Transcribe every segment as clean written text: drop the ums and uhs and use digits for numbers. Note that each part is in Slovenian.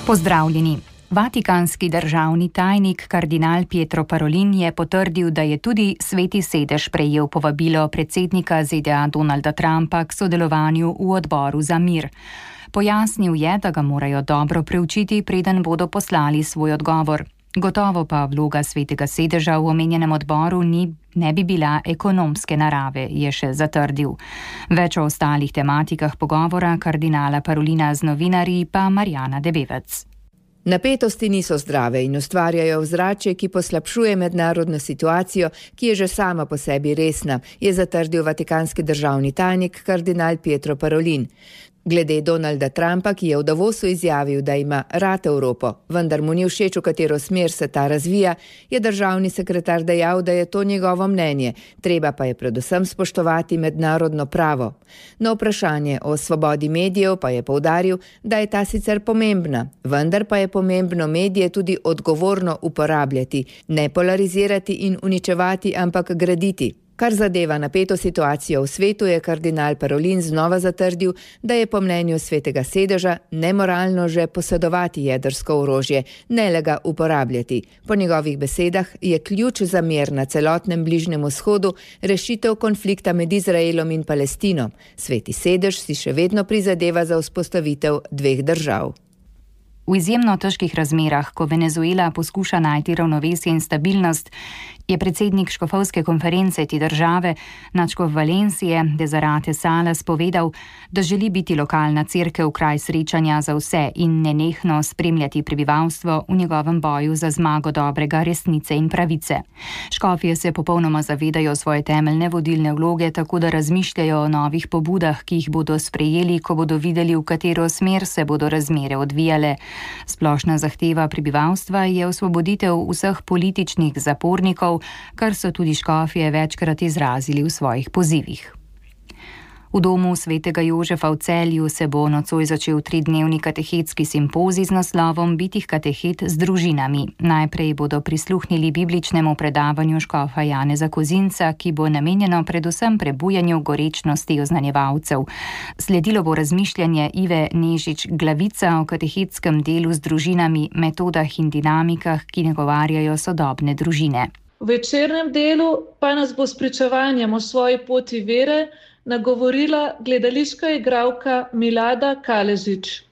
Pozdravljeni. Vatikanski državni tajnik kardinal Pietro Parolin je potrdil, da je tudi Sveti sedež prejel povabilo predsednika ZDA Donalda Trumpa k sodelovanju v odboru za mir. Pojasnil je, da ga morajo dobro preučiti, preden bodo poslali svoj odgovor. Gotovo pa vloga Svetega sedeža v omenjenem odboru ne bi bila ekonomske narave, je še zatrdil. Več o ostalih tematikah pogovora kardinala Parolina z novinarji pa Marjana Debevec. Napetosti niso zdrave in ustvarjajo ozračje, ki poslabšuje mednarodno situacijo, ki je že sama po sebi resna, je zatrdil vatikanski državni tajnik kardinal Pietro Parolin. Glede Donalda Trumpa, ki je v Davosu izjavil, da ima rad Evropo, vendar mu ni všeč, v katero smer se ta razvija, je državni sekretar dejal, da je to njegovo mnenje, treba pa je predvsem spoštovati mednarodno pravo. Na vprašanje o svobodi medijev pa je poudaril, da je ta sicer pomembna, vendar pa je pomembno medije tudi odgovorno uporabljati, ne polarizirati in uničevati, ampak graditi. Kar zadeva napeto situacijo v svetu, je kardinal Parolin znova zatrdil, da je po mnenju Svetega sedeža nemoralno že posedovati jedrsko orožje, ne le ga uporabljati. Po njegovih besedah je ključ za mir na celotnem Bližnjem vzhodu rešitev konflikta med Izraelom in Palestino. Sveti sedež si še vedno prizadeva za vzpostavitev dveh držav. V izjemno težkih razmerah, ko Venezuela poskuša najti ravnovesje in stabilnost, je predsednik škofovske konference te države, nadškof Valencije, Desirate Salas, povedal, da želi biti lokalna cerkev kraj srečanja za vse in nenehno spremljati prebivalstvo v njegovem boju za zmago dobrega, resnice in pravice. Škofje se popolnoma zavedajo svoje temeljne vodilne vloge, tako da razmišljajo o novih pobudah, ki jih bodo sprejeli, ko bodo videli, v katero smer se bodo razmere odvijale. Splošna zahteva prebivalstva je osvoboditev vseh političnih zapornikov, kar so tudi škofje večkrat izrazili v svojih pozivih. V domu svetega Jožefa v Celju se bo nocoj začel 3-dnevni katehetski simpozij z naslovom Bitih katehet z družinami. Najprej bodo prisluhnili bibličnemu predavanju škofa Janeza Kozinca, ki bo namenjeno predvsem prebujanju gorečnosti oznanjevalcev. Sledilo bo razmišljanje Ive Nežič Glavica o katehetskem delu z družinami, metodah in dinamikah, ki nagovarjajo sodobne družine. V večernem delu pa nas bo s pričevanjem o svoji poti vere nagovorila gledališka igralka Milada Kaležič.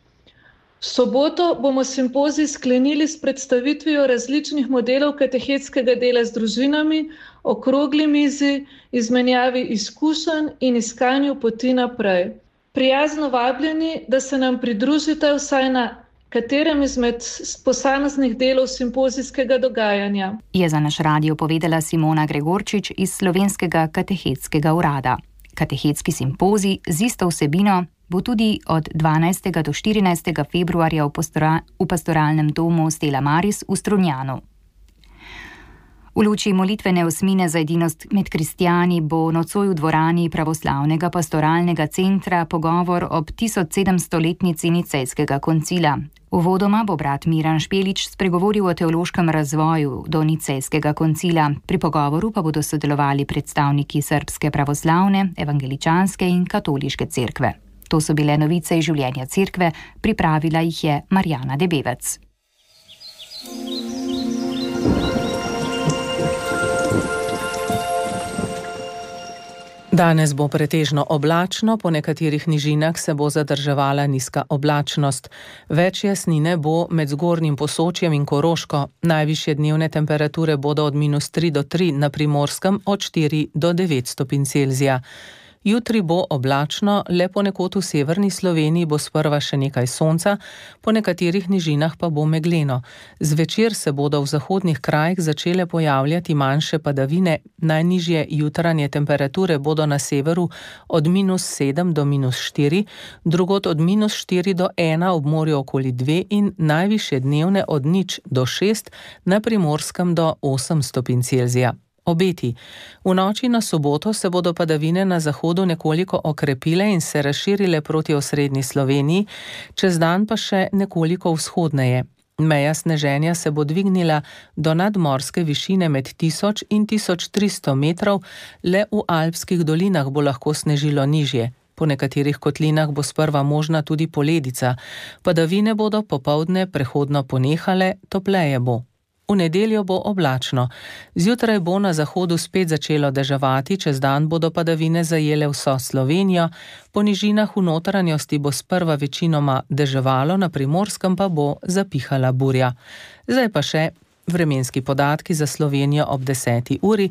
V soboto bomo simpozij sklenili s predstavitvijo različnih modelov katehetskega dela z družinami, okrogli mizi, izmenjavi izkušenj in iskanju poti naprej. Prijazno vabljeni, da se nam pridružite vsaj na katerem izmed posameznih delov simpozijskega dogajanja. Je za naš radio povedala Simona Gregorčič iz Slovenskega katehetskega urada. Katehetski simpozij z isto vsebino bo tudi od 12. do 14. februarja v pastoralnem domu Stella Maris v Strunjanu. V luči molitvene osmine za edinost med kristjani bo nocoj v dvorani Pravoslavnega pastoralnega centra pogovor ob 1700-letnici Nicejskega koncila. Uvodoma bo brat Miran Špelič spregovoril o teološkem razvoju do Nicejskega koncila. Pri pogovoru pa bodo sodelovali predstavniki srbske pravoslavne, evangeličanske in katoliške cerkve. To so bile novice iz življenja cerkve, pripravila jih je Marjana Debevec. Danes bo pretežno oblačno, po nekaterih nižinah se bo zadrževala nizka oblačnost. Več jasnine bo med Zgornjim Posočjem in Koroško. Najvišje dnevne temperature bodo od -3 do 3 na Primorskem, od 4 do 9 stopinj Celzija. Jutri bo oblačno, le ponekod v severni Sloveniji bo sprva še nekaj sonca, po nekaterih nižinah pa bo megleno. Zvečer se bodo v zahodnih krajih začele pojavljati manjše padavine, najnižje jutranje temperature bodo na severu od -7 do -4, drugod od -4 do 1 ob morju okoli 2 in najvišje dnevne od 0 do 6, na Primorskem do 8 stopinj Celzija. Obeti. V noči na soboto se bodo padavine na zahodu nekoliko okrepile in se razširile proti osrednji Sloveniji, čez dan pa še nekoliko vzhodneje. Meja sneženja se bo dvignila do nadmorske višine med 1000 in 1300 metrov, le v alpskih dolinah bo lahko snežilo nižje. Po nekaterih kotlinah bo sprva možna tudi poledica. Padavine bodo popoldne prehodno ponehale, topleje bo. V nedeljo bo oblačno. Zjutraj bo na zahodu spet začelo deževati, čez dan bodo padavine zajele vso Slovenijo, po nižinah v notranjosti bo sprva večinoma deževalo, na Primorskem pa bo zapihala burja. Zdaj pa še vremenski podatki za Slovenijo ob 10. uri.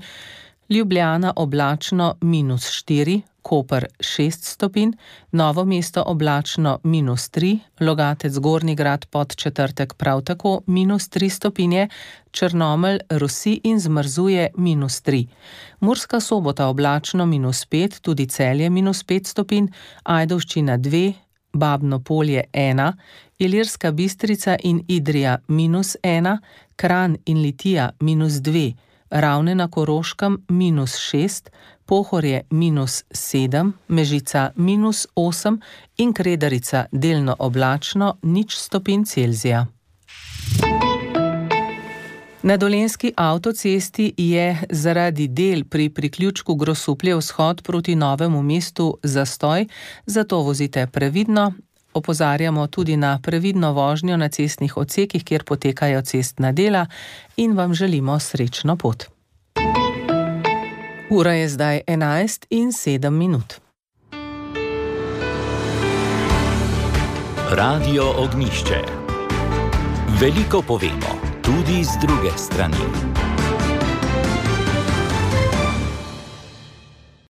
Ljubljana oblačno -4, Koper 6 stopinj, Novo mesto oblačno -3, Logatec Gornji Grad Podčetrtek prav tako -3 stopinje, Črnomelj rosi in zmrzuje -3. Murska Sobota oblačno -5, tudi Celje -5 stopinj, Ajdovščina 2, Babno Polje 1, Ilirska Bistrica in Idrija -1, Kranj in Litija -2, Ravne na Koroškem -6, Pohorje -7, Mežica -8 in Kredarica delno oblačno 0 stopinj Celzija. Na Dolenjski avtocesti je zaradi del pri priključku Grosuplje vzhod proti Novemu mestu zastoj, zato vozite previdno. Opozarjamo tudi na previdno vožnjo na cestnih odsekih, kjer potekajo cestna dela, in vam želimo srečno pot. Ura je zdaj 11:07. Radio Ognjišče. Veliko povemo, tudi z druge strani.